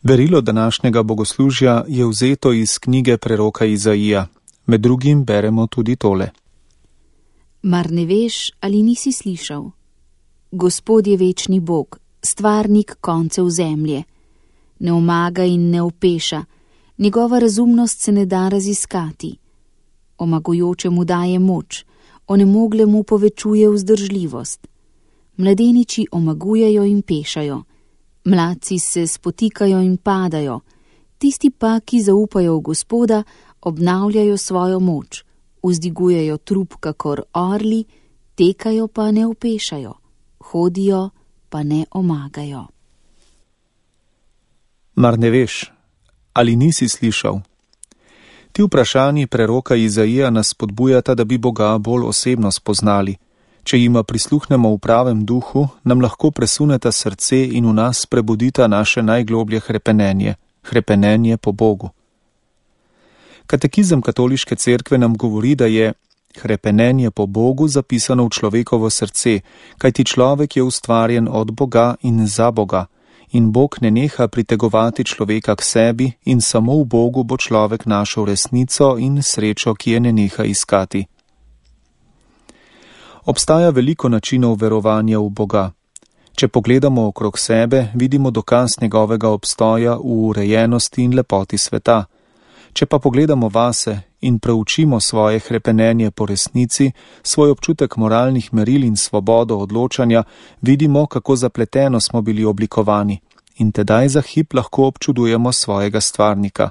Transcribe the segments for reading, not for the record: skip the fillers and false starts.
Berilo današnjega bogoslužja je vzeto iz knjige preroka Izaija. Med drugim beremo tudi tole. Mar ne veš ali nisi slišal? Gospod je večni Bog, stvarnik koncev zemlje. Ne omaga in ne opeša, njegova razumnost se ne da raziskati. Omagujočemu daje moč, onemoglemu povečuje vzdržljivost. Mladeniči omagujejo in pešajo, mladci se spotikajo in padajo, tisti pa, ki zaupajo v Gospoda, obnavljajo svojo moč, vzdigujejo trup kakor orli, tekajo pa ne opešajo, hodijo pa ne omagajo. Mar ne veš, ali nisi slišal? Ti vprašanji preroka Izaija nas spodbujata, da bi Boga bolj osebno spoznali. Če jima prisluhnemo v pravem duhu, nam lahko presuneta srce in v nas prebudita naše najgloblje hrepenenje po Bogu. Katekizem Katoliške cerkve nam govori, da je hrepenenje po Bogu zapisano v človekovo srce, kajti človek je ustvarjen od Boga in za Boga, in Bog ne neha pritegovati človeka k sebi in samo v Bogu bo človek našel resnico in srečo, ki je ne neha iskati. Obstaja veliko načinov verovanja v Boga. Če pogledamo okrog sebe, vidimo dokaz njegovega obstoja v urejenosti in lepoti sveta. Če pa pogledamo vase in preučimo svoje hrepenenje po resnici, svoj občutek moralnih meril in svobodo odločanja, vidimo, kako zapleteno smo bili oblikovani in tedaj za hip lahko občudujemo svojega stvarnika.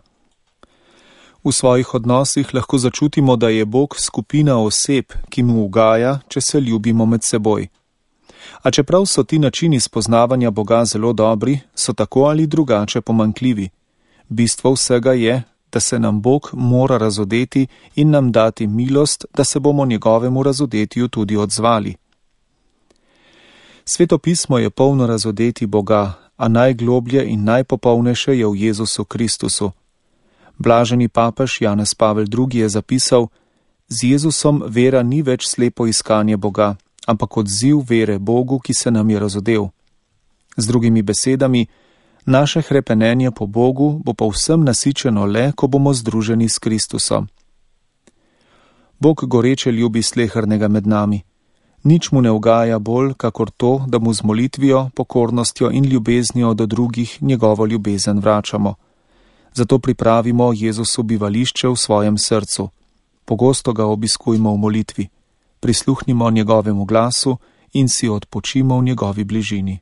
V svojih odnosih lahko začutimo, da je Bog skupina oseb, ki mu ugaja, če se ljubimo med seboj. A čeprav so ti načini spoznavanja Boga zelo dobri, so tako ali drugače pomanjkljivi. Bistvo vsega je, da se nam Bog mora razodeti in nam dati milost, da se bomo njegovemu razodetju tudi odzvali. Sveto pismo je polno razodeti Boga, a najgloblje in najpopolnejše je v Jezusu Kristusu. Blaženi papež Janez Pavel II. Je zapisal: z Jezusom vera ni več slepo iskanje Boga, ampak odziv vere Bogu, ki se nam je razodel. Z drugimi besedami, naše hrepenenje po Bogu bo povsem nasičeno le, ko bomo združeni s Kristusom. Bog goreče ljubi slehernega med nami. Nič mu ne ugaja bolj, kakor to, da mu z molitvijo, pokornostjo in ljubeznijo do drugih njegovo ljubezen vračamo. Zato pripravimo Jezusu bivališče v svojem srcu. Pogosto ga obiskujmo v molitvi. Prisluhnimo njegovemu glasu in si odpočimo v njegovi bližini.